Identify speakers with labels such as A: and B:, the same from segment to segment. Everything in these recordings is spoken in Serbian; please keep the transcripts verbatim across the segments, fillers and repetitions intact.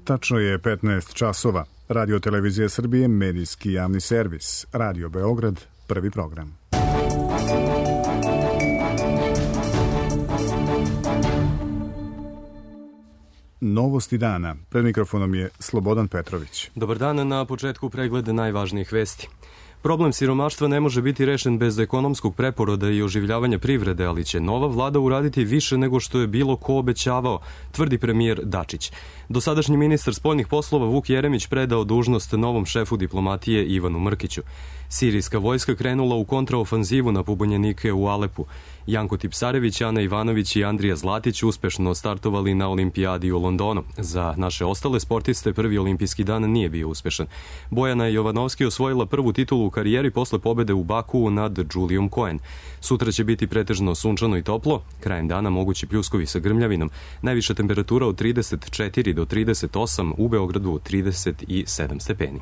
A: Tačno je petnaest časova. Radio Televizija Srbije, medijski javni servis. Radio Beograd, prvi program. Novosti dana. Pred mikrofonom je Slobodan Petrović.
B: Dobar dan, na početku pregleda najvažnijih vesti. Problem siromaštva ne može biti rešen bez ekonomskog preporoda i oživljavanja privrede, ali će nova vlada uraditi više nego što je bilo ko obećavao, tvrdi premijer Dačić. Dosadašnji ministar spoljnih poslova Vuk Jeremić predao dužnost novom šefu diplomatije Ivanu Mrkiću. Sirijska vojska krenula u kontraofanzivu na pobunjenike u Alepu. Janko Tipsarević, Ana Ivanović i Andrija Zlatić uspešno startovali na olimpijadi u Londonu. Za naše ostale sportiste prvi olimpijski dan nije bio uspešan. Bojana Jovanovski osvojila prvu titulu u karijeri posle pobede u Bakuu nad Julijom Cohen. Sutra će biti pretežno sunčano i toplo, krajem dana mogući pljuskovi sa grmljavinom. Najviša temperatura od trideset četiri do trideset osam, u Beogradu trideset sedam stepeni.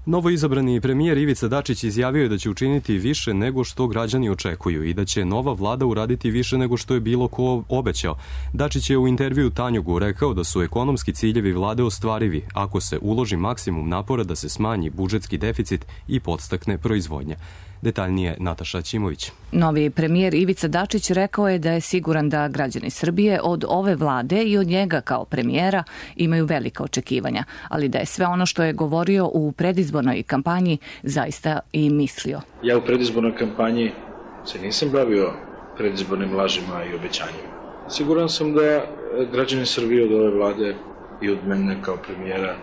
B: Novo izabrani premijer Ivica Dačić izjavio je da će učiniti više nego što građani očekuju i da će nova vlada uraditi više nego što je bilo ko obećao. Dačić je u intervju Tanjugu rekao da su ekonomski ciljevi vlade ostvarivi ako se uloži maksimum napora da se smanji budžetski deficit i podstakne proizvodnja. Detaljnije Nataša Ćimović.
C: Novi premijer Ivica Dačić rekao je da je siguran da građani Srbije od ove vlade i od njega kao premijera imaju velika očekivanja, ali da je sve ono što je govorio u predizbornoj kampanji zaista i mislio.
D: Ja u predizbornoj kampanji se nisam bavio predizbornim lažima i obećanjima. Siguran sam da građani Srbije od ove vlade i od mene kao premijera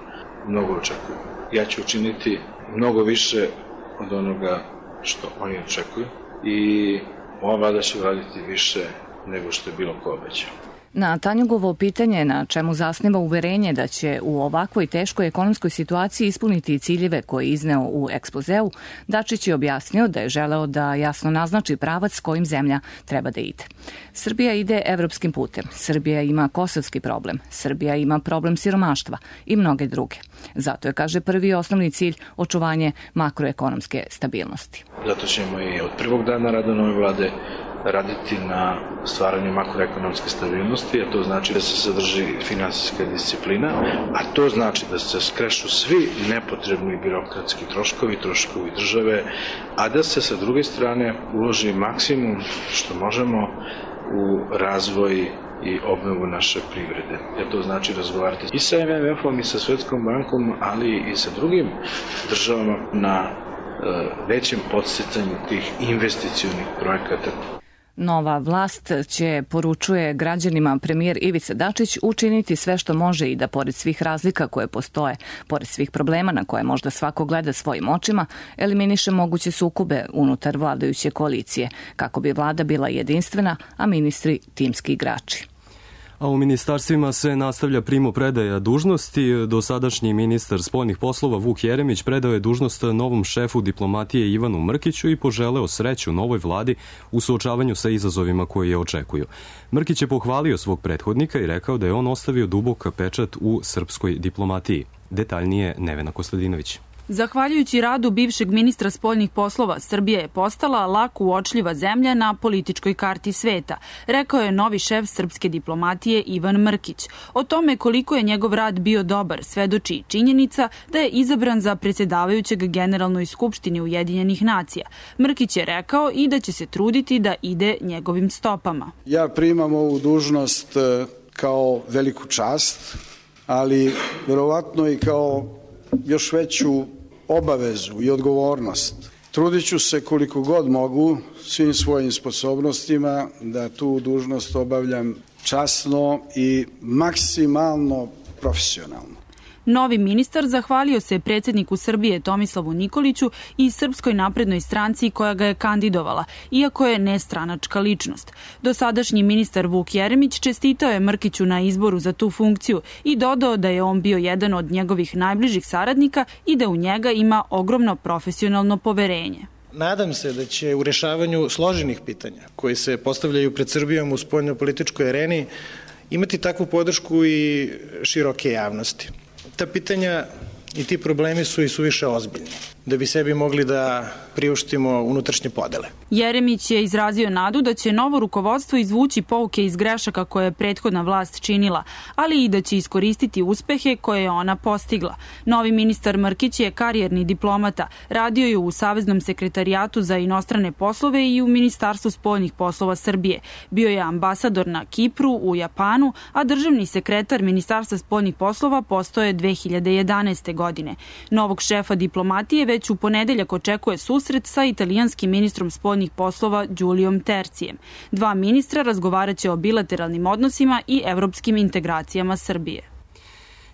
D: mnogo očekuju. Ja ću učiniti mnogo više od onoga što oni očekuju i ova vlada će uraditi više nego što je bilo ko obećao.
C: Na Tanjugovo pitanje na čemu zasniva uverenje da će u ovakvoj teškoj ekonomskoj situaciji ispuniti ciljeve koje je izneo u ekspozeu, Dačić je objasnio da je želeo da jasno naznači pravac kojim zemlja treba da ide. Srbija ide evropskim putem, Srbija ima kosovski problem, Srbija ima problem siromaštva i mnoge druge. Zato je, kaže, prvi i osnovni cilj očuvanje makroekonomske stabilnosti.
D: Zato ćemo i od prvog dana rada nove vlade raditi na stvaranju makroekonomske stabilnosti, a to znači da se sadrži finansijska disciplina, a to znači da se skrešu svi nepotrebni birokratski troškovi, troškovi države, a da se sa druge strane uloži maksimum što možemo u razvoj i obnovu naše privrede. Jer to znači razgovarati i sa em em efom i sa Svetskom bankom, ali i sa drugim državama na većem podsticanju tih investicionih projekata.
C: Nova vlast će, poručuje građanima premijer Ivica Dačić, učiniti sve što može i da pored svih razlika koje postoje, pored svih problema na koje možda svako gleda svojim očima, eliminiše moguće sukobe unutar vladajuće koalicije, kako bi vlada bila jedinstvena, a ministri timski igrači.
B: A u ministarstvima se nastavlja primopredaja dužnosti. Dosadašnji ministar spoljnih poslova Vuk Jeremić predao je dužnost novom šefu diplomatije Ivanu Mrkiću i poželeo sreću novoj vladi u suočavanju sa izazovima koje je očekuju. Mrkić je pohvalio svog prethodnika i rekao da je on ostavio dubok pečat u srpskoj diplomatiji. Detaljnije Nevena Kostadinović.
E: Zahvaljujući radu bivšeg ministra spoljnih poslova, Srbija je postala lako uočljiva zemlja na političkoj karti sveta, rekao je novi šef srpske diplomatije Ivan Mrkić. O tome koliko je njegov rad bio dobar svedoči činjenica da je izabran za predsjedavajućeg Generalnoj skupštini Ujedinjenih nacija. Mrkić je rekao i da će se truditi da ide njegovim stopama.
F: Ja primam ovu dužnost kao veliku čast, ali verovatno i kao još veću obavezu i odgovornost. Trudit ću se koliko god mogu svim svojim sposobnostima da tu dužnost obavljam časno i maksimalno profesionalno.
E: Novi ministar zahvalio se predsjedniku Srbije Tomislavu Nikoliću i Srpskoj naprednoj stranci koja ga je kandidovala, iako je nestranačka ličnost. Dosadašnji ministar Vuk Jeremić čestitao je Mrkiću na izboru za tu funkciju i dodao da je on bio jedan od njegovih najbližih saradnika i da u njega ima ogromno profesionalno poverenje.
G: Nadam se da će u rešavanju složenih pitanja koji se postavljaju pred Srbijom u spoljnopolitičkoj areni imati takvu podršku i široke javnosti. Ta pitanja i ti problemi su i suviše ozbiljni, da bi sebi mogli da priuštimo unutrašnje podele.
E: Jeremić je izrazio nadu da će novo rukovodstvo izvući pouke iz grešaka koje je prethodna vlast činila, ali i da će iskoristiti uspehe koje je ona postigla. Novi ministar Mrkić je karijerni diplomata, radio je u Saveznom sekretarijatu za inostrane poslove i u Ministarstvu spoljnih poslova Srbije. Bio je ambasador na Kipru, u Japanu, a državni sekretar Ministarstva spoljnih poslova postao je dve hiljade jedanaeste. godine. Novog šefa diplomatije već u ponedeljak očekuje susret sa italijanskim ministrom spoljnih poslova Giuliom Tercijem. Dva ministra razgovaraće o bilateralnim odnosima i evropskim integracijama Srbije.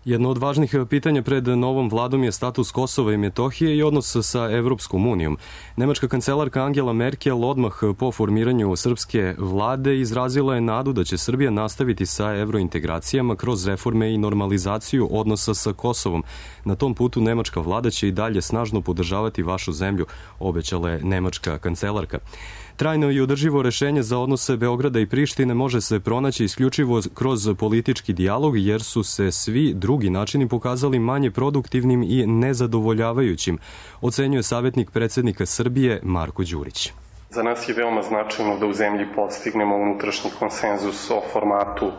B: Jedno od važnih pitanja pred novom vladom je status Kosova i Metohije i odnos sa Evropskom unijom. Nemačka kancelarka Angela Merkel odmah po formiranju srpske vlade izrazila je nadu da će Srbija nastaviti sa evrointegracijama kroz reforme i normalizaciju odnosa sa Kosovom. Na tom putu nemačka vlada će i dalje snažno podržavati vašu zemlju, obećala je nemačka kancelarka. Trajno i održivo rešenje za odnose Beograda i Prištine može se pronaći isključivo kroz politički dijalog, jer su se svi drugi načini pokazali manje produktivnim i nezadovoljavajućim, ocenjuje savjetnik predsednika Srbije Marko Đurić.
H: Za nas je veoma značajno da u zemlji postignemo unutrašnji konsenzus o formatu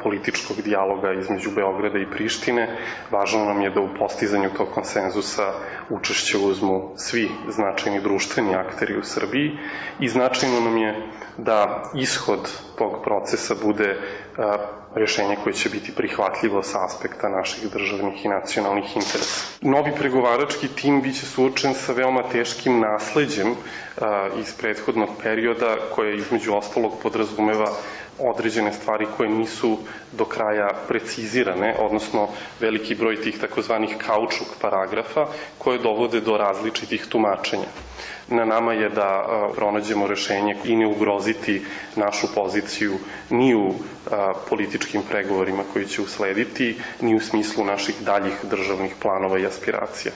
H: političkog dijaloga između Beograda i Prištine. Važno nam je da u postizanju tog konsenzusa učešće uzmu svi značajni društveni akteri u Srbiji i značajno nam je da ishod tog procesa bude rešenje koje će biti prihvatljivo sa aspekta naših državnih i nacionalnih interesa. Novi pregovarački tim biće suočen sa veoma teškim nasleđem iz prethodnog perioda koje između ostalog podrazumeva određene stvari koje nisu do kraja precizirane, odnosno veliki broj tih takozvanih kaučuk paragrafa koje dovode do različitih tumačenja. Na nama je da pronađemo rešenje i ne ugroziti našu poziciju ni u političkim pregovorima koji će uslediti, ni u smislu naših daljih državnih planova i aspiracija.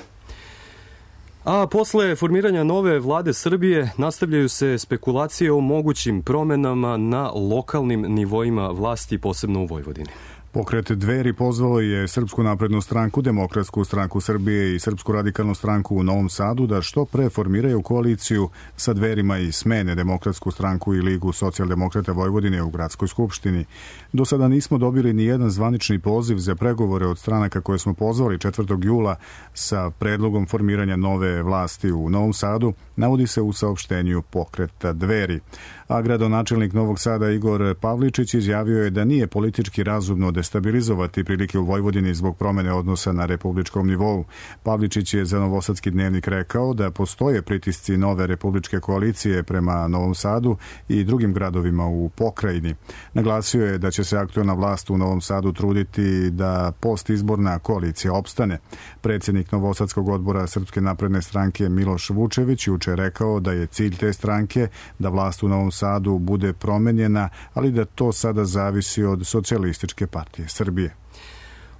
B: A posle formiranja nove vlade Srbije nastavljaju se spekulacije o mogućim promenama na lokalnim nivoima vlasti, posebno u Vojvodini.
A: Pokret Dveri pozvao je Srpsku naprednu stranku, Demokratsku stranku Srbije i Srpsku radikalnu stranku u Novom Sadu da što pre formiraju koaliciju sa Dverima i smene Demokratsku stranku i Ligu socijaldemokrata Vojvodine u Gradskoj skupštini. Do sada nismo dobili ni jedan zvanični poziv za pregovore od stranaka koje smo pozvali četvrtog jula sa predlogom formiranja nove vlasti u Novom Sadu, navodi se u saopštenju Pokreta Dveri. A gradonačelnik Novog Sada Igor Pavličić izjavio je da nije politički razumno destabilizovati prilike u Vojvodini zbog promene odnosa na republičkom nivou. Pavličić je za Novosadski dnevnik rekao da postoje pritisci nove republičke koalicije prema Novom Sadu i drugim gradovima u pokrajini. Naglasio je da će se aktuelna vlast u Novom Sadu truditi da postizborna koalicija opstane. Predsjednik Novosadskog odbora Srpske napredne stranke Miloš Vučević juče rekao da je cilj te stranke da vlast u Novom Sadu bude promenjena, ali da to sada zavisi od Socijalističke partije Srbije.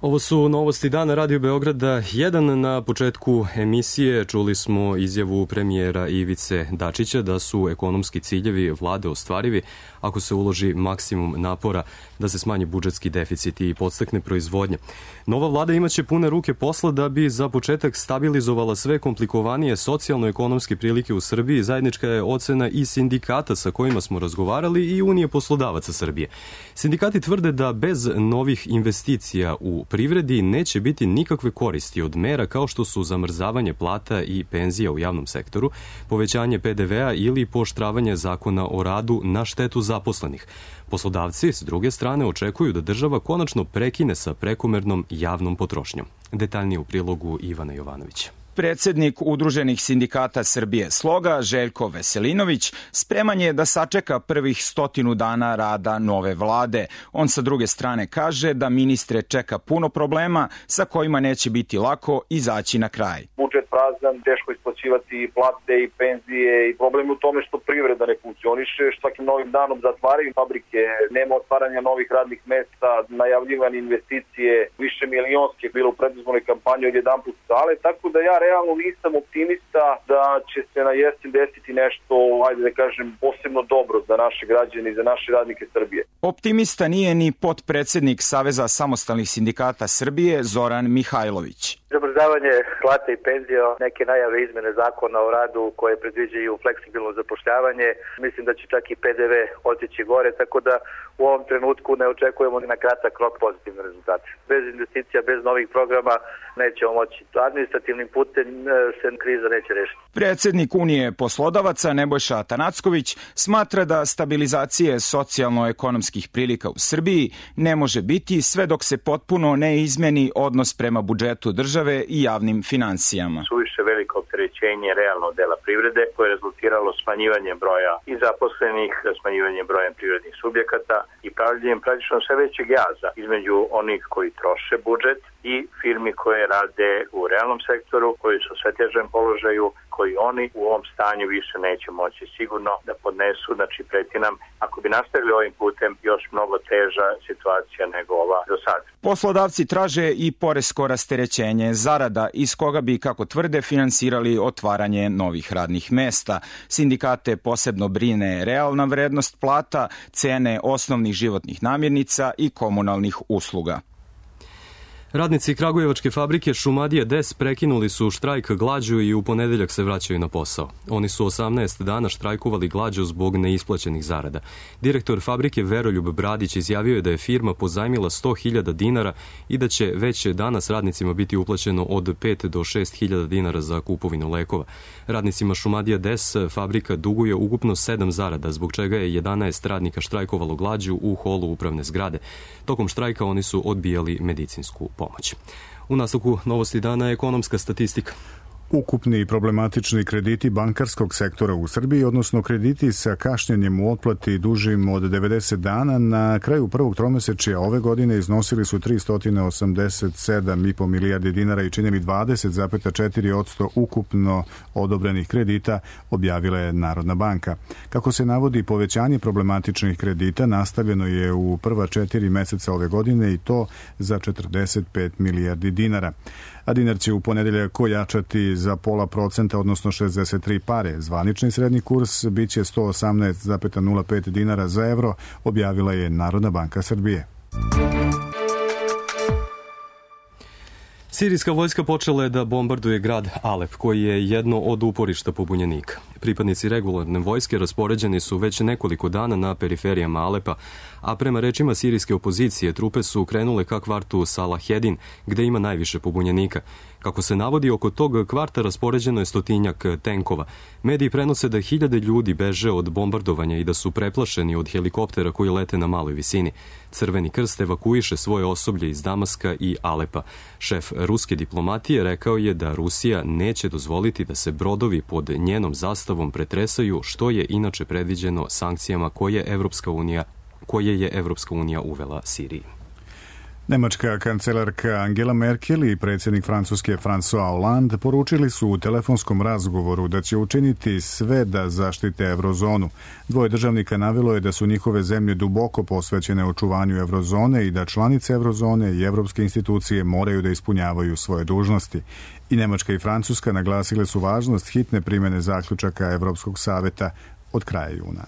B: Ovo su novosti dana Radio Beograda jedan. Na početku emisije čuli smo izjavu premijera Ivice Dačića da su ekonomski ciljevi vlade ostvarivi ako se uloži maksimum napora da se smanji budžetski deficit i podstakne proizvodnje. Nova vlada imaće pune ruke posla da bi za početak stabilizovala sve komplikovanije socijalno-ekonomske prilike u Srbiji. Zajednička je ocena i sindikata sa kojima smo razgovarali i Unije poslodavaca Srbije. Sindikati tvrde da bez novih investicija u privredi neće biti nikakve koristi od mera kao što su zamrzavanje plata i penzija u javnom sektoru, povećanje pe de ve a ili pooštravanje zakona o radu na štetu zaposlenih. Poslodavci, s druge strane, očekuju da država konačno prekine sa prekomernom javnom potrošnjom. Detaljnije u prilogu Ivana Jovanovića.
I: Predsednik Udruženih sindikata Srbije Sloga, Željko Veselinović, spreman je da sačeka prvih stotinu dana rada nove vlade. On sa druge strane kaže da ministre čeka puno problema sa kojima neće biti lako izaći na kraj.
J: Budžet prazan, teško isplaćivati plate i penzije i problem je u tome što privreda ne funkcioniše, što svakim novim danom zatvaraju fabrike, nema otvaranja novih radnih mesta, najavljivane investicije, više milionske bilo u predizbornoj kampanji od jedan put sale, tako da ja realno nisam optimista da će se na jesen desiti nešto, ajde da kažem, posebno dobro za naše građane i za naše radnike Srbije.
I: Optimista nije ni potpredsednik Saveza samostalnih sindikata Srbije Zoran Mihajlović.
J: Treba
K: zamrzavanje plate i penzija, neke najave izmene zakona o radu koje predviđaju fleksibilno zapošljavanje, mislim da će čak i P D V otići gore, tako da u ovom trenutku ne očekujemo na kratak rok pozitivne rezultate. Bez investicija, bez novih programa nećemo moći. Administrativnim putem se kriza neće rešiti.
I: Predsednik Unije poslodavaca Nebojša Atanacković smatra da stabilizacije socijalno-ekonomskih prilika u Srbiji ne može biti sve dok se potpuno ne izmeni odnos prema budžetu države i javnim finansijama.
L: Suviše veliko opterećenje realnog dela privrede koje je rezultiralo smanjivanjem broja i zaposlenih, smanjivanjem broja privrednih subjekata i pravljenjem praktično sve većeg jaza između onih koji troše budžet i firmi koje rade u realnom sektoru, koji su u sve težem položaju, koji oni u ovom stanju više neće moći sigurno da podnesu, znači preti nam, ako bi nastavili ovim putem, još mnogo teža situacija nego ova do sada.
I: Poslodavci traže i poresko rasterećenje zarada iz koga bi, kako tvrde, finansirali otvaranje novih radnih mesta. Sindikate posebno brine realna vrednost plata, cene osnovnih životnih namirnica i komunalnih usluga.
B: Radnici kragujevačke fabrike Šumadija Des prekinuli su štrajk glađu i u ponedeljak se vraćaju na posao. Oni su osamnaest dana štrajkovali glađu zbog neisplaćenih zarada. Direktor fabrike Veroljub Bradić izjavio je da je firma pozajmila sto hiljada dinara i da će već danas radnicima biti uplaćeno od pet do šest hiljada dinara za kupovinu lekova. Radnicima Šumadija Des fabrika duguje ukupno sedam zarada, zbog čega je jedanaest radnika štrajkovalo glađu u holu upravne zgrade. Tokom štrajka oni su odbijali medicinsku pomoć. U nastavku novosti dana ekonomska statistika.
A: Ukupni problematični krediti bankarskog sektora u Srbiji, odnosno krediti sa kašnjenjem u otplati dužim od devedeset dana, na kraju prvog tromesečja ove godine iznosili su tristo osamdeset sedam i po milijardi dinara i činili dvadeset zarez četiri posto ukupno odobrenih kredita, objavila je Narodna banka. Kako se navodi, povećanje problematičnih kredita nastavljeno je u prva četiri meseca ove godine i to za četrdeset pet milijardi dinara. A dinar će u ponedeljak ojačati za pola procenta, odnosno šezdeset tri pare. Zvanični srednji kurs biće sto osamnaest zarez nula pet dinara za evro, objavila je Narodna banka Srbije.
B: Sirijska vojska počela je da bombarduje grad Alep, koji je jedno od uporišta pobunjenika. Pripadnici regularne vojske raspoređeni su već nekoliko dana na periferijama Alepa, a prema rečima sirijske opozicije trupe su krenule ka kvartu Salahedin, gde ima najviše pobunjenika. Kako se navodi, oko tog kvarta raspoređeno je stotinjak tenkova. Mediji prenose da hiljade ljudi beže od bombardovanja i da su preplašeni od helikoptera koji lete na maloj visini. Crveni krst evakuiše svoje osoblje iz Damaska i Alepa. Šef ruske diplomatije rekao je da Rusija neće dozvoliti da se brodovi pod njenom zastavom pretresaju, što je inače predviđeno sankcijama koje Evropska unija, koje je Evropska unija uvela Siriji.
A: Nemačka kancelarka Angela Merkel i predsjednik Francuske François Hollande poručili su u telefonskom razgovoru da će učiniti sve da zaštite eurozonu. Dvoje državnika navelo je da su njihove zemlje duboko posvećene očuvanju eurozone i da članice eurozone i evropske institucije moraju da ispunjavaju svoje dužnosti. I Nemačka i Francuska naglasile su važnost hitne primjene zaključaka Evropskog saveta od kraja juna.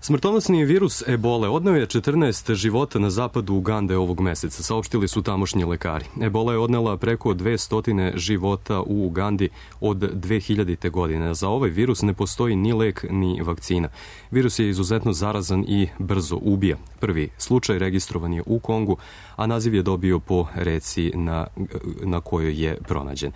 B: Smrtonosni virus ebole odneo je četrnaest života na zapadu Ugande ovog meseca, saopštili su tamošnji lekari. Ebola je odnela preko dvesta života u Ugandi od dve hiljadite. godine. Za ovaj virus ne postoji ni lek ni vakcina. Virus je izuzetno zarazan i brzo ubija. Prvi slučaj registrovan je u Kongu, a naziv je dobio po reci na, na kojoj je pronađen.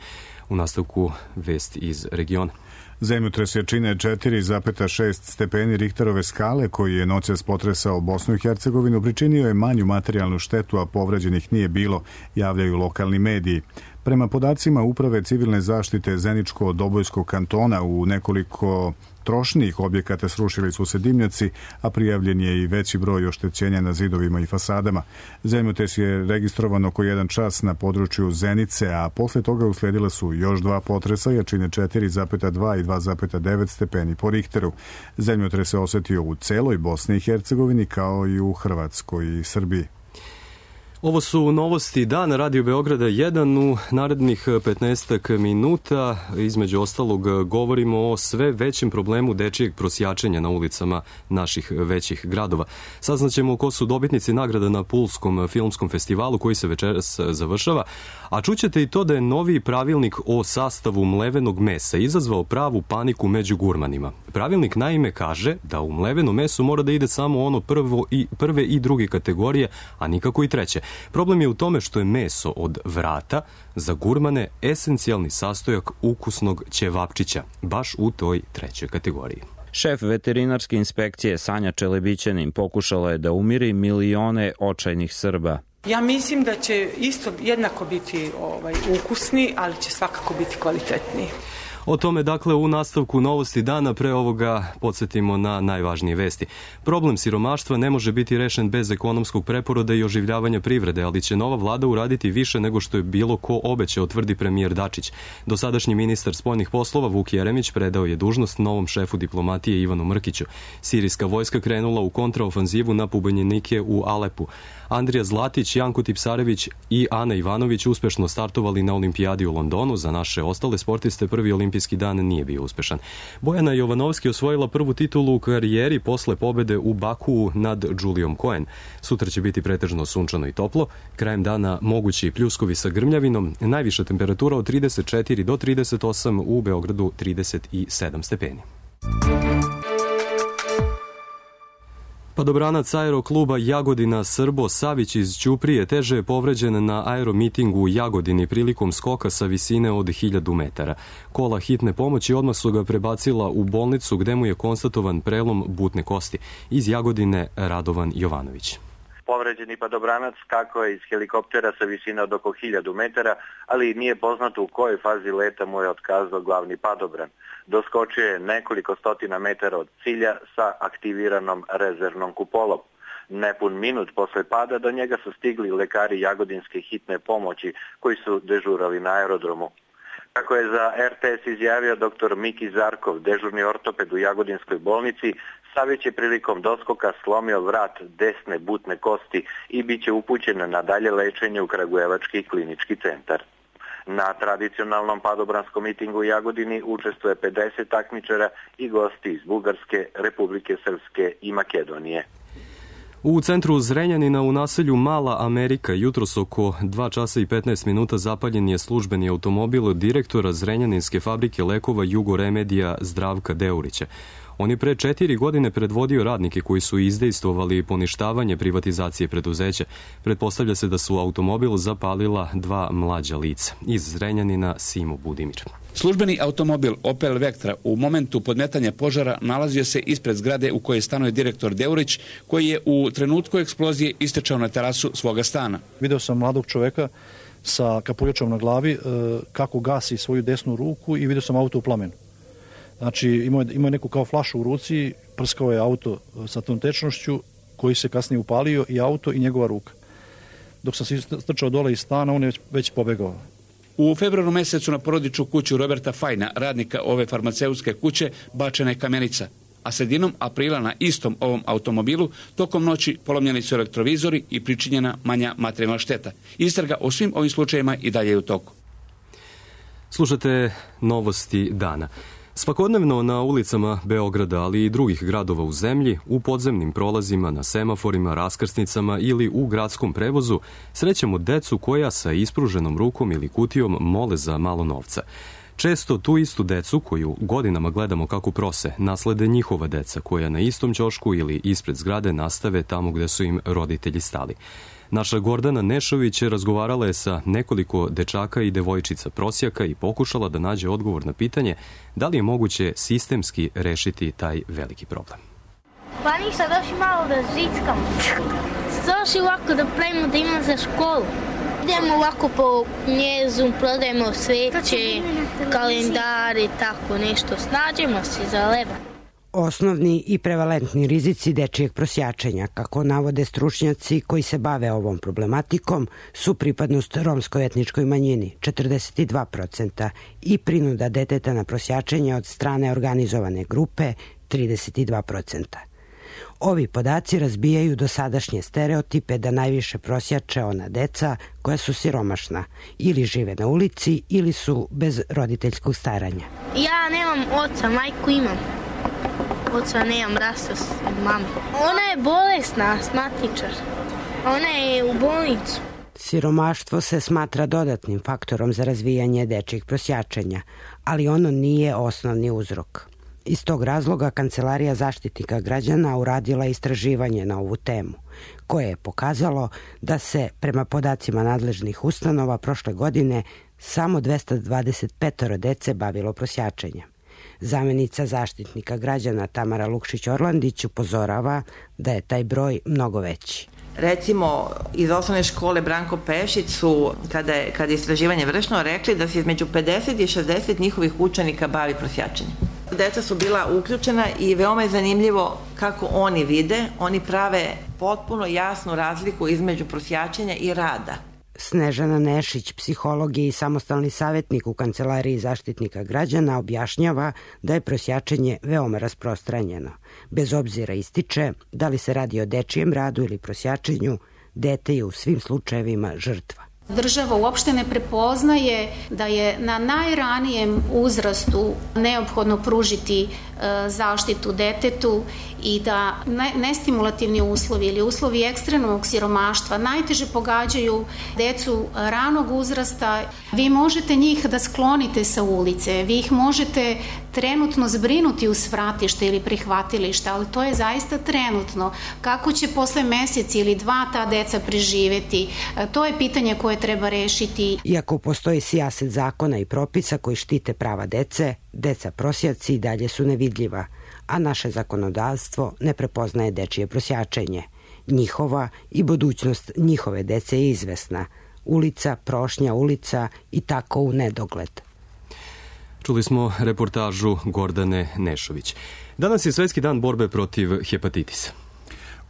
B: U nastavku vest iz regiona.
A: Zemljotres je čine četiri zarez šest stepeni Richterove skale, koji je noćas potresao Bosnu i Hercegovinu, pričinio je manju materijalnu štetu, a povređenih nije bilo, javljaju lokalni mediji. Prema podacima Uprave civilne zaštite Zeničko-Dobojskog kantona, u nekoliko trošnijih objekata srušili su se dimnjaci, a prijavljen je i veći broj oštećenja na zidovima i fasadama. Zemljotres je registrovan oko jedan čas na području Zenice, a posle toga usledila su još dva potresa, jačine četiri zarez dva i dva zarez devet stepeni po Richteru. Zemljotres se osetio u celoj Bosni i Hercegovini, kao i u Hrvatskoj i Srbiji.
B: Ovo su novosti dana Radio Beograda jedan. U narednih petnaestak minuta između ostalog govorimo o sve većem problemu dečijeg prosjačenja na ulicama naših većih gradova. Saznaćemo ko su dobitnici nagrada na Pulskom filmskom festivalu koji se večeras završava, a čućete i to da je novi pravilnik o sastavu mlevenog mesa izazvao pravu paniku među gurmanima. Pravilnik naime kaže da u mleveno meso mora da ide samo ono prvo i, prve i druge kategorije, a nikako i treće. Problem je u tome što je meso od vrata za gurmane esencijalni sastojak ukusnog ćevapčića, baš u toj trećoj kategoriji.
M: Šef veterinarske inspekcije Sanja Čelebićanin pokušala je da umiri milione očajnih Srba.
N: Ja mislim da će isto jednako biti ovaj, ukusni, ali će svakako biti kvalitetniji.
B: O tome, dakle, u nastavku novosti dana. Pre ovoga podsjetimo na najvažnije vesti. Problem siromaštva ne može biti rešen bez ekonomskog preporoda i oživljavanja privrede, ali će nova vlada uraditi više nego što je bilo ko obećao, tvrdi premijer Dačić. Dosadašnji ministar spoljnih poslova Vuk Jeremić predao je dužnost novom šefu diplomatije Ivanu Mrkiću. Sirijska vojska krenula u kontraofanzivu na pobunjenike u Alepu. Andrija Zlatić, Janko Tipsarević i Ana Ivanović uspešno startovali na olimpijadi u Londonu. Za naše ostale sportiste prvi olimpijski dan nije bio uspešan. Bojana Jovanovski osvojila prvu titulu u karijeri posle pobede u Bakuu nad Julijom Cohen. Sutra će biti pretežno sunčano i toplo. Krajem dana mogući pljuskovi sa grmljavinom. Najviša temperatura od trideset četiri do trideset osam, u Beogradu trideset sedam stepeni. Padobranac aerokluba Jagodina Srbo Savić iz Ćuprije teže je povređen na aeromitingu u Jagodini prilikom skoka sa visine od hiljadu metara. Kola hitne pomoći odmah su ga prebacila u bolnicu gde mu je konstatovan prelom butne kosti. Iz Jagodine Radovan Jovanović.
L: Povređeni padobranac skakao je iz helikoptera sa visine od oko hiljadu metara, ali nije poznato u kojoj fazi leta mu je otkazao glavni padobran. Doskočio je nekoliko stotina metara od cilja sa aktiviranom rezervnom kupolom. Nepun minut posle pada do njega su stigli lekari Jagodinske hitne pomoći koji su dežurali na aerodromu. Kako je za er te es izjavio doktor Miki Zarkov, dežurni ortoped u Jagodinskoj bolnici, Savić je prilikom doskoka slomio vrat desne butne kosti i bit će upućen na dalje lečenje u Kragujevački klinički centar. Na tradicionalnom padobranskom mitingu u Jagodini učestvuje pedeset takmičara i gosti iz Bugarske, Republike Srpske i Makedonije.
B: U centru Zrenjanina u naselju Mala Amerika jutros oko dva časa i petnaest minuta zapaljen je službeni automobil direktora Zrenjaninske fabrike lekova Jugoremedija Zdravka Deurića. On je pre četiri godine predvodio radnike koji su izdejstvovali poništavanje privatizacije preduzeća. Pretpostavlja se da su automobil zapalila dva mlađa lica. Iz Zrenjanina Simo Budimir.
O: Službeni automobil Opel Vectra u momentu podmetanja požara nalazio se ispred zgrade u kojoj stanuje direktor Deurić, koji je u trenutku eksplozije istečao na terasu svoga stana.
P: Video sam mladog čoveka sa kapuljačom na glavi kako gasi svoju desnu ruku i video sam auto u plamenu. Znači, imao je, imao je neku kao flašu u ruci, prskao je auto sa tom tečnošću koji se kasnije upalio, i auto i njegova ruka. Dok sam se strčao dole iz stana, on je već, već pobegao.
O: U februaru mesecu na porodičnu kuću Roberta Fajna, radnika ove farmaceutske kuće, bačena je kamenica, a sredinom aprila na istom ovom automobilu tokom noći polomljeni su elektrovizori i pričinjena manja materijalna šteta. Istraga o svim ovim slučajevima i dalje je u toku.
B: Slušate novosti dana. Svakodnevno na ulicama Beograda, ali i drugih gradova u zemlji, u podzemnim prolazima, na semaforima, raskrsnicama ili u gradskom prevozu, srećemo decu koja sa ispruženom rukom ili kutijom mole za malo novca. Često tu istu decu, koju godinama gledamo kako prose, naslede njihova deca, koja na istom ćošku ili ispred zgrade nastave tamo gde su im roditelji stali. Naša Gordana Nešović razgovarala je sa nekoliko dečaka i devojčica prosjaka i pokušala da nađe odgovor na pitanje da li je moguće sistemski rešiti taj veliki problem.
Q: Pa ništa, došli malo da žickamo. Došli ovako da pravimo da imamo za školu. Idemo ovako po njezu, prodajemo sveće, kalendare, tako nešto. Snađemo se za leba.
R: Osnovni i prevalentni rizici dečijeg prosjačenja, kako navode stručnjaci koji se bave ovom problematikom, su pripadnost romskoj etničkoj manjini četrdeset dva procenta i prinuda deteta na prosjačenje od strane organizovane grupe trideset dva procenta. Ovi podaci razbijaju dosadašnje stereotipe da najviše prosjače ona deca koja su siromašna, ili žive na ulici ili su bez roditeljskog staranja.
Q: Ja nemam oca, majku imam. Oca nemam, rastao s mama. Ona je bolesna, astmatičar. Ona je u bolnicu.
R: Siromaštvo se smatra dodatnim faktorom za razvijanje dečjih prosjačenja, ali ono nije osnovni uzrok. Iz tog razloga Kancelarija Zaštitnika građana uradila istraživanje na ovu temu, koje je pokazalo da se, prema podacima nadležnih ustanova, prošle godine samo dvesta dvadeset pet dece bavilo prosjačenjem. Zamenica Zaštitnika građana Tamara Lukšić-Orlandić upozorava da je taj broj mnogo veći.
S: Recimo, iz osnovne škole Branko Pešić su, kada je, kada je istraživanje vršno, rekli da se između pedeset i šezdeset njihovih učenika bavi prosjačenjem. Deca su bila uključena i veoma je zanimljivo kako oni vide, oni prave potpuno jasnu razliku između prosjačenja i rada.
R: Snežana Nešić, psiholog i samostalni savjetnik u Kancelariji Zaštitnika građana, objašnjava da je prosjačenje veoma rasprostranjeno. Bez obzira, ističe, da li se radi o dečijem radu ili prosjačenju, dete je u svim slučajevima žrtva.
T: Država uopšte ne prepoznaje da je na najranijem uzrastu neophodno pružiti zaštitu detetu i da nestimulativni uslovi ili uslovi ekstremnog siromaštva najteže pogađaju decu ranog uzrasta. Vi možete njih da sklonite sa ulice, vi ih možete trenutno zbrinuti u svratište ili prihvatilište, ali to je zaista trenutno. Kako će posle mesec ili dva ta deca preživeti, to je pitanje koje treba rešiti.
R: Iako postoji sijaset zakona i propisa koji štite prava dece, deca prosjaci i dalje su nevidljiva, a naše zakonodavstvo ne prepoznaje dečije prosjačenje. Njihova i budućnost njihove dece je izvesna. Ulica, prošnja ulica i tako u nedogled.
B: Čuli smo reportažu Gordane Nešović. Danas je Svetski dan borbe protiv hepatitisa.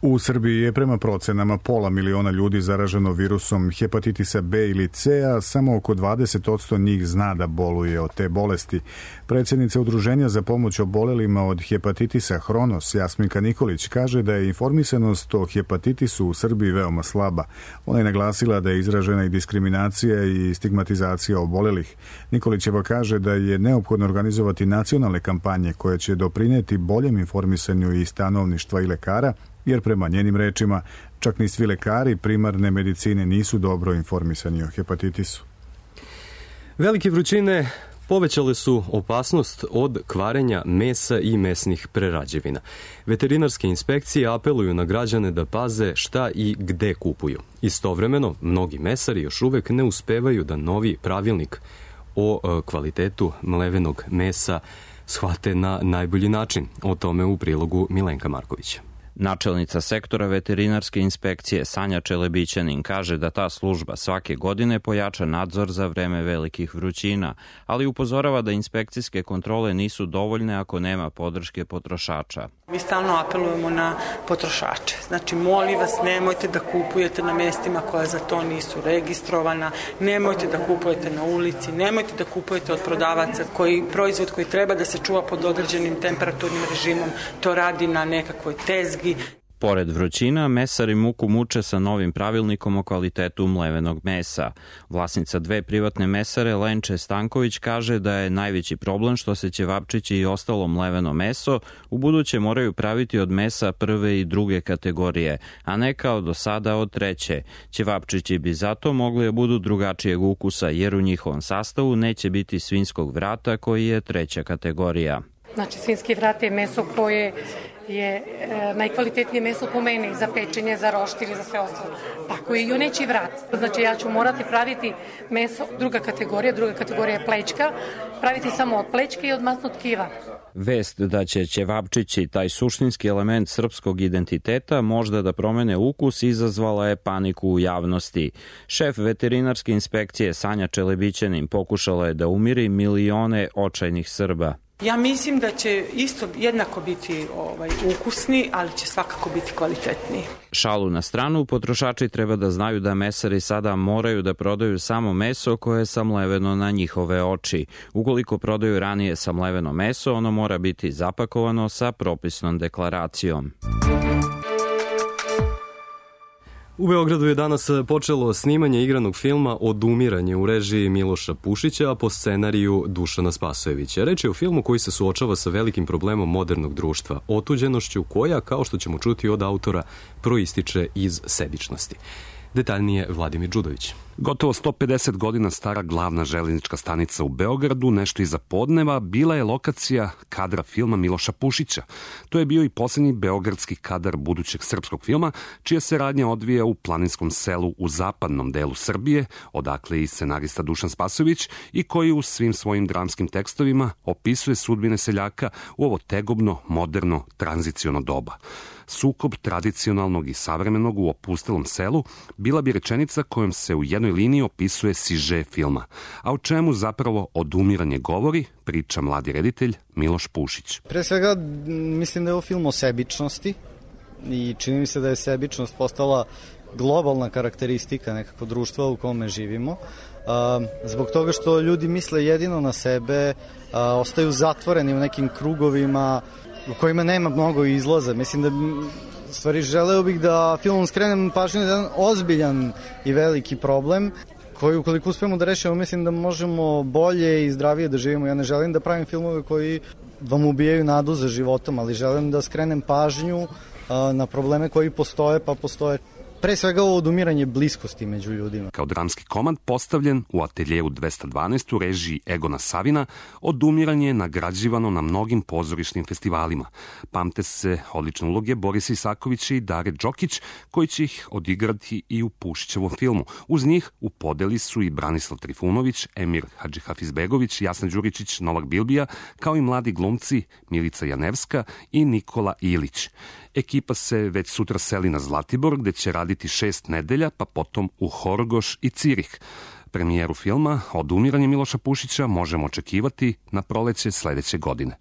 A: U Srbiji je prema procenama pola miliona ljudi zaraženo virusom hepatitisa B ili C, a samo oko dvadeset posto njih zna da boluje od te bolesti. Predsjednica Udruženja za pomoć obolelima od hepatitisa Hronos, Jasminka Nikolić, kaže da je informisanost o hepatitisu u Srbiji veoma slaba. Ona je naglasila da je izražena i diskriminacija i stigmatizacija obolelih. Nikolićeva kaže da je neophodno organizovati nacionalne kampanje koje će doprineti boljem informisanju i stanovništva i lekara, jer prema njenim rečima čak ni svi lekari primarne medicine nisu dobro informisani o hepatitisu.
B: Velike vrućine povećale su opasnost od kvarenja mesa i mesnih prerađevina. Veterinarske inspekcije apeluju na građane da paze šta i gde kupuju. Istovremeno, mnogi mesari još uvek ne uspevaju da novi pravilnik o kvalitetu mlevenog mesa shvate na najbolji način. O tome u prilogu Milenka Markovića.
M: Načelnica sektora veterinarske inspekcije Sanja Čelebićanin kaže da ta služba svake godine pojača nadzor za vreme velikih vrućina, ali upozorava da inspekcijske kontrole nisu dovoljne ako nema podrške potrošača.
N: Mi stalno apelujemo na potrošače. Znači, molim vas, nemojte da kupujete na mestima koja za to nisu registrovana, nemojte da kupujete na ulici, nemojte da kupujete od prodavaca koji proizvod koji treba da se čuva pod određenim temperaturnim režimom, to radi na nekakvoj tezgi.
M: Pored vrućina, mesari muku muče sa novim pravilnikom o kvalitetu mlevenog mesa. Vlasnica dve privatne mesare, Lenče Stanković, kaže da je najveći problem što se ćevapčići i ostalo mleveno meso u buduće moraju praviti od mesa prve i druge kategorije, a ne kao do sada od treće. Ćevapčići bi zato mogli da budu drugačijeg ukusa, jer u njihovom sastavu neće biti svinjskog vrata koji je treća kategorija.
U: Znači, svinjski vrat je meso koje je e, najkvalitetnije meso po meni za pečenje, za roštilj i za sve ostalo. Tako je i juneći vrat. Znači, ja ću morati praviti meso druga kategorija, druga kategorija je plečka, praviti samo od plečke i od masnog tkiva.
M: Vest da će ćevapčići, taj suštinski element srpskog identiteta, možda da promene ukus, izazvala je paniku u javnosti. Šef veterinarske inspekcije Sanja Čelebićanin pokušala je da umiri milione očajnih Srba.
N: Ja mislim da će isto jednako biti ovaj, ukusni, ali će svakako biti kvalitetniji.
M: Šalu na stranu, potrošači treba da znaju da mesari sada moraju da prodaju samo meso koje je samleveno na njihove oči. Ukoliko prodaju ranije samleveno meso, ono mora biti zapakovano sa propisnom deklaracijom.
B: U Beogradu je danas počelo snimanje igranog filma Odumiranje u režiji Miloša Pušića, a po scenariju Dušana Spasojevića. Reč je o filmu koji se suočava sa velikim problemom modernog društva, otuđenošću koja, kao što ćemo čuti od autora, proističe iz sebičnosti. Detaljnije Vladimir Đudović.
D: Gotovo sto pedeset godina stara glavna železnička stanica u Beogradu, nešto iza podneva, bila je lokacija kadra filma Miloša Pušića. To je bio i posljednji beogradski kadar budućeg srpskog filma, čija se radnja odvija u planinskom selu u zapadnom delu Srbije, odakle i scenarista Dušan Spasojević, i koji u svim svojim dramskim tekstovima opisuje sudbine seljaka u ovo tegobno, moderno, tranziciono doba. Sukob tradicionalnog i savremenog u opustelom selu bila bi rečenica kojom se u jednoj liniji opisuje siže filma. A o čemu zapravo Odumiranje govori, priča mladi reditelj Miloš Pušić.
V: Pre svega mislim da je ovo film o sebičnosti i čini mi se da je sebičnost postala globalna karakteristika nekako društva u kome živimo. Zbog toga što ljudi misle jedino na sebe, ostaju zatvoreni u nekim krugovima u kojima nema mnogo izlaza. Mislim da, stvari, želeo bih da filmom skrenem pažnju na jedan ozbiljan i veliki problem koji, ukoliko uspemo da rešimo, mislim da možemo bolje i zdravije da živimo. Ja ne želim da pravim filmove koji vam ubijaju nadu za životom, ali želim da skrenem pažnju na probleme koji postoje, pa postoje pre svega ovo odumiranje bliskosti među ljudima.
D: Kao dramski komad postavljen u ateljevu dvesta dvanaest u režiji Egona Savina, Odumiranje je nagrađivano na mnogim pozorišnim festivalima. Pamte se odlične uloge Borisa Isakovića i Dare Đokić, koji će ih odigrati i u Pušićevom filmu. Uz njih u podeli su i Branislav Trifunović, Emir Hadžihafizbegović, Jasna Đuričić, Novak Bilbija, kao i mladi glumci Milica Janevska i Nikola Ilić. Ekipa se već sutra seli na Zlatibor, gde će raditi šest nedelja, pa potom u Horgoš i Cirih. Premijeru filma Odumiranje Miloša Pušića možemo očekivati na proleće sledeće godine.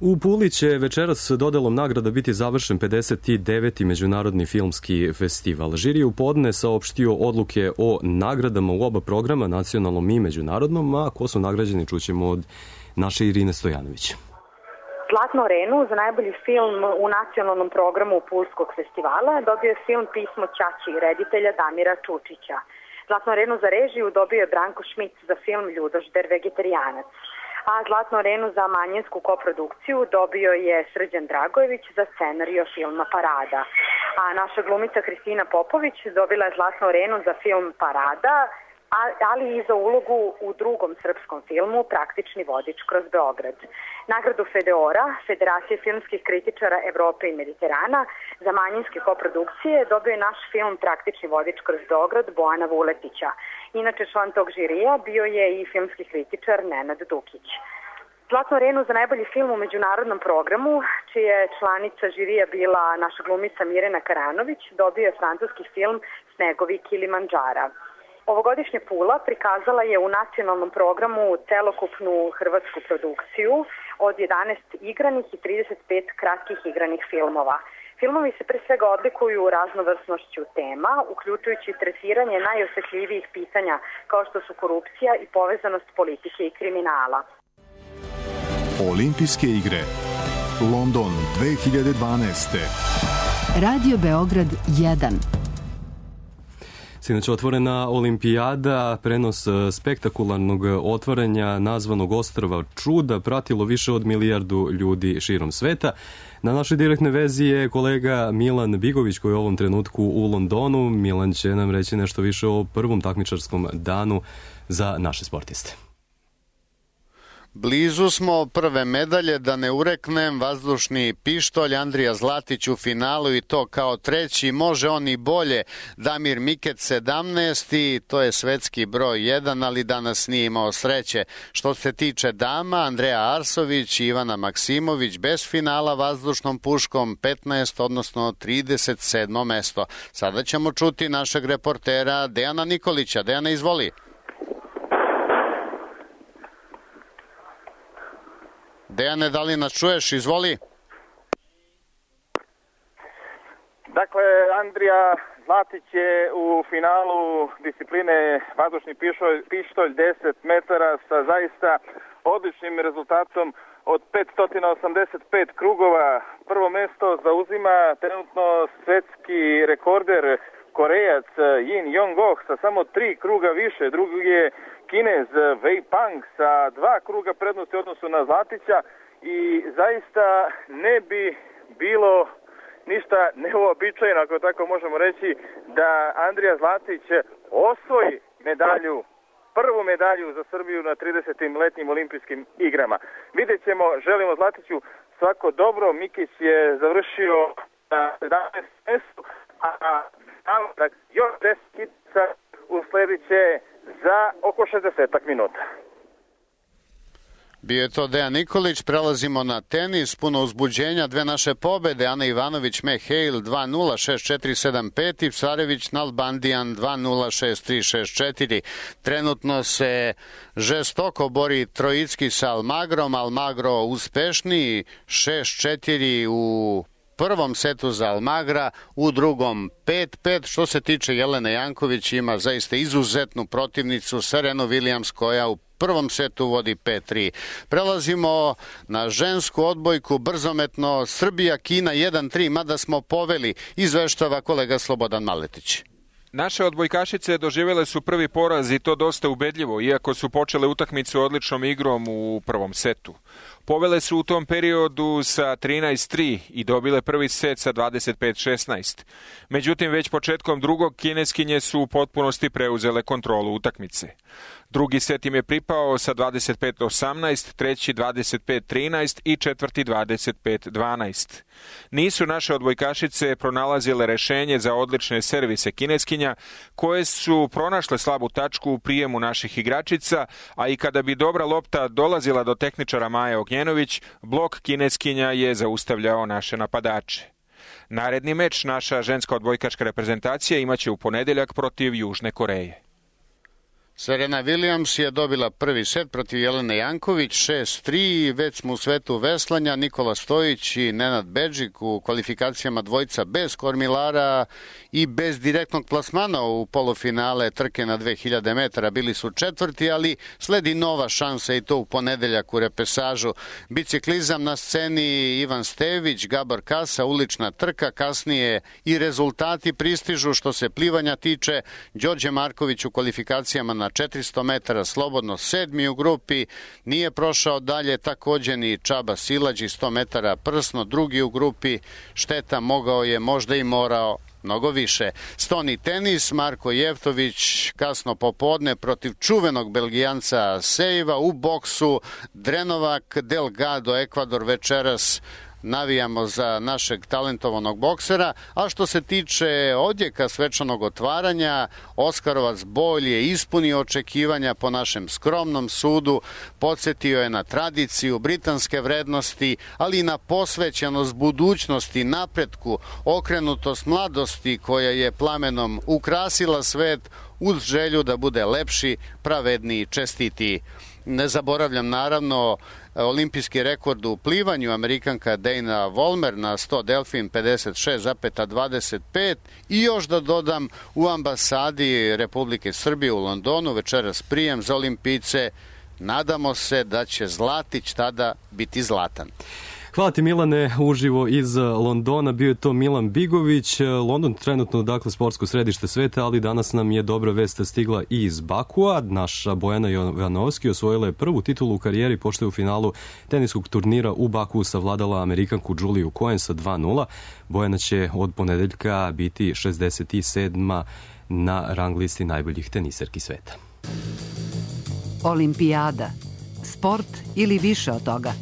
B: U Puli će večeras dodelom nagrada biti završen pedeset deveti Međunarodni filmski festival. Žiri je u podne saopštio odluke o nagradama u oba programa, nacionalnom i međunarodnom, a ko su nagrađeni čućemo od naše Irine Stojanović.
W: Zlatnu arenu za najbolji film u nacionalnom programu Pulskog festivala dobio je film Pismo ćaći reditelja Damira Čučića. Zlatnu arenu za režiju dobio je Branko Šmic za film Ljudožder vegetarijanac. A Zlatnu arenu za manjinsku koprodukciju dobio je Srđan Dragojević za scenario filma Parada. A naša glumica Kristina Popović dobila je Zlatnu arenu za film Parada, ali i za ulogu u drugom srpskom filmu Praktični vodič kroz Beograd. Nagradu Fedeora, Federacije filmskih kritičara Evrope i Mediterana, za manjinske koprodukcije dobio je naš film Praktični vodič kroz Beograd Bojana Vuletića. Inače, član tog žirija bio je i filmski kritičar Nenad Dukić. Zlatnu arenu za najbolji film u međunarodnom programu, čija je članica žirija bila naša glumica Mirena Karanović, dobio je francuski film Snegovi Kilimandžara. Ovogodišnja Pula prikazala je u nacionalnom programu celokupnu hrvatsku produkciju od jedanaest igranih i trideset pet kratkih igranih filmova. Filmovi se pre svega odlikuju raznovrsnošću tema, uključujući tretiranje najosetljivijih pitanja kao što su korupcija i povezanost politike i kriminala.
A: Olimpijske igre London dve hiljade dvanaeste.
X: Radio Beograd jedan.
B: Sinoć otvorena olimpijada, prenos spektakularnog otvaranja nazvanog Ostrva čuda pratilo više od milijardu ljudi širom sveta. Na našoj direktnoj vezi je kolega Milan Bigović koji je u ovom trenutku u Londonu. Milan će nam reći nešto više o prvom takmičarskom danu za naše sportiste.
Y: Blizu smo prve medalje, da ne ureknem, vazdušni pištolj, Andrija Zlatić u finalu i to kao treći, može on i bolje, Damir Mikec sedamnaesti, to je svetski broj jedan, ali danas nije imao sreće. Što se tiče dama, Andreja Arsović i Ivana Maksimović bez finala vazdušnom puškom petnaest, odnosno trideset sedmo mesto. Sada ćemo čuti našeg reportera Dejana Nikolića. Dejana, izvoli. Dejane, da li nas čuješ? Izvoli.
C: Dakle, Andrija Zlatić je u finalu discipline vazdušni pištolj, pištolj deset metara sa zaista odličnim rezultatom od petsto osamdeset pet krugova. Prvo mesto zauzima trenutno svetski rekorder Korejac Yin Yong-oh sa samo tri kruga više. Drugi je Kinez Wei Pang sa dva kruga prednosti u odnosu na Zlatića i zaista ne bi bilo ništa neuobičajeno, ako tako možemo reći, da Andrija Zlatić osvoji medalju, prvu medalju za Srbiju na tridesetim letnjim olimpijskim igrama. Vidjet ćemo, želimo Zlatiću svako dobro. Mikić je završio na sedamnaestom mestu, a još deset kitica usledit će za oko šezdeset minuta.
Y: Bio je to Dejan Nikolić, prelazimo na tenis, puno uzbuđenja, dve naše pobede, Ana Ivanović, Mehejl dva nula, šest četiri, sedam pet i Psarević, Nalbandijan dva nula, šest tri, šest četiri. Trenutno se žestoko bori Trojicki sa Almagrom, Almagro uspešniji, šest četiri u prvom setu za Almagra, u drugom pet pet. Što se tiče Jelene Janković, ima zaista izuzetnu protivnicu Serenu Williams koja u prvom setu vodi pet tri. Prelazimo na žensku odbojku, brzometno Srbija-Kina jedan tri, mada smo poveli, izveštava kolega Slobodan Maletić.
E: Naše odbojkašice doživjele su prvi poraz i to dosta ubedljivo, iako su počele utakmicu odličnom igrom u prvom setu. Povele su u tom periodu sa trinaest tri i dobile prvi set sa dvadeset pet šesnaest. Međutim, već početkom drugog kineskinje su u potpunosti preuzele kontrolu utakmice. Drugi set im je pripao sa dvadeset pet osamnaest, treći dvadeset pet trinaest i četvrti dvadeset pet dvanaest. Nisu naše odbojkašice pronalazile rešenje za odlične servise kineskinja, koje su pronašle slabu tačku u prijemu naših igračica, a i kada bi dobra lopta dolazila do tehničara Maje Ognjenović, blok kineskinja je zaustavljao naše napadače. Naredni meč naša ženska odbojkaška reprezentacija imaće u ponedeljak protiv Južne Koreje.
Y: Serena Williams je dobila prvi set protiv Jelene Janković, šest tri, već smo u svetu veslanja, Nikola Stojić i Nenad Bedžik u kvalifikacijama dvojca bez kormilara i bez direktnog plasmana u polufinale trke na dve hiljade metara, bili su četvrti, ali sledi nova šansa i to u ponedeljak u repesažu. Biciklizam na sceni Ivan Stević, Gabor Kasa, ulična trka, kasnije i rezultati pristižu. Što se plivanja tiče, Đorđe Marković u kvalifikacijama na četiristo metara slobodno sedmi u grupi, nije prošao dalje, također ni Čaba Silađi sto metara prsno drugi u grupi, šteta, mogao je, možda i morao mnogo više. Stoni tenis, Marko Jevtović kasno popodne protiv čuvenog Belgijanca Sejva, u boksu Drenovak, Delgado, Ekvador večeras. Navijamo za našeg talentovanog boksera, a što se tiče odjeka svečanog otvaranja, Oskarovac Bolj je ispunio očekivanja po našem skromnom sudu, podsjetio je na tradiciju, britanske vrednosti, ali i na posvećenost budućnosti, napretku, okrenutost mladosti koja je plamenom ukrasila svet uz želju da bude lepši, pravedniji, čestitiji. Ne zaboravljam naravno olimpijski rekord u plivanju, Amerikanka Dana Vollmer na sto delfin pedeset šest zarez dvadeset pet i još da dodam u ambasadi Republike Srbije u Londonu večeras prijem za olimpijce. Nadamo se da će Zlatić tada biti zlatan.
B: Hvala ti Milane, uživo iz Londona, bio je to Milan Bigović. London trenutno dakle sportsko središte sveta, ali danas nam je dobra vest stigla i iz Bakua. Naša Bojana Jovanovski osvojila je prvu titulu u karijeri pošto je u finalu teniskog turnira u Bakuu savladala Amerikanku Juliju Cohen sa dva nula. Bojana će od ponedeljka biti šezdeset sedma na rang listi najboljih teniserki sveta.
X: Olimpijada. Sport ili više od toga.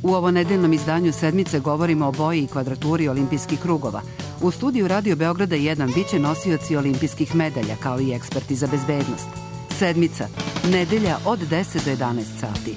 X: U ovo nedeljnom izdanju Sedmice govorimo o boji i kvadraturi olimpijskih krugova. U studiju Radio Beograda jedan biće nosioci olimpijskih medalja, kao i eksperti za bezbednost. Sedmica. Nedelja od deset do jedanaest sati.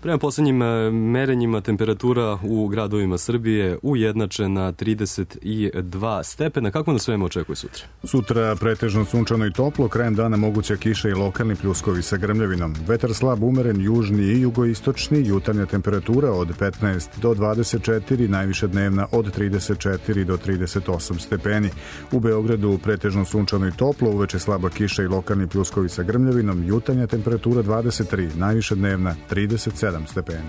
B: Prema poslednjim merenjima temperatura u gradovima Srbije ujednačena trideset dva stepena. Kako nas svema očekuje sutra?
A: Sutra pretežno sunčano i toplo, krajem dana moguća kiša i lokalni pljuskovi sa grmljavinom. Vetar slab umeren, južni i jugoistočni, jutarnja temperatura od petnaest do dvadeset četiri, najviša dnevna od trideset četiri do trideset osam stepeni. U Beogradu pretežno sunčano i toplo, uveče slaba kiša i lokalni pljuskovi sa grmljavinom, jutarnja temperatura dvadeset tri, najviša dnevna trideset sedam stepeni.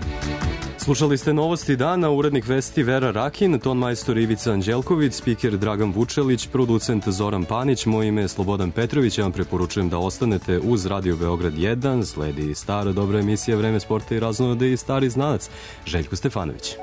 B: Slušali ste novosti dana, urednik vesti Vera Rakin, ton majstor Ivica Anđelković, spiker Dragan Vučelić, producent Zoran Panić, moje ime je Slobodan Petrović, ja vam preporučujem da ostanete uz Radio Beograd jedan, sledi stara dobra emisija Vreme sporta i raznode i stari znanac Željko Stefanović.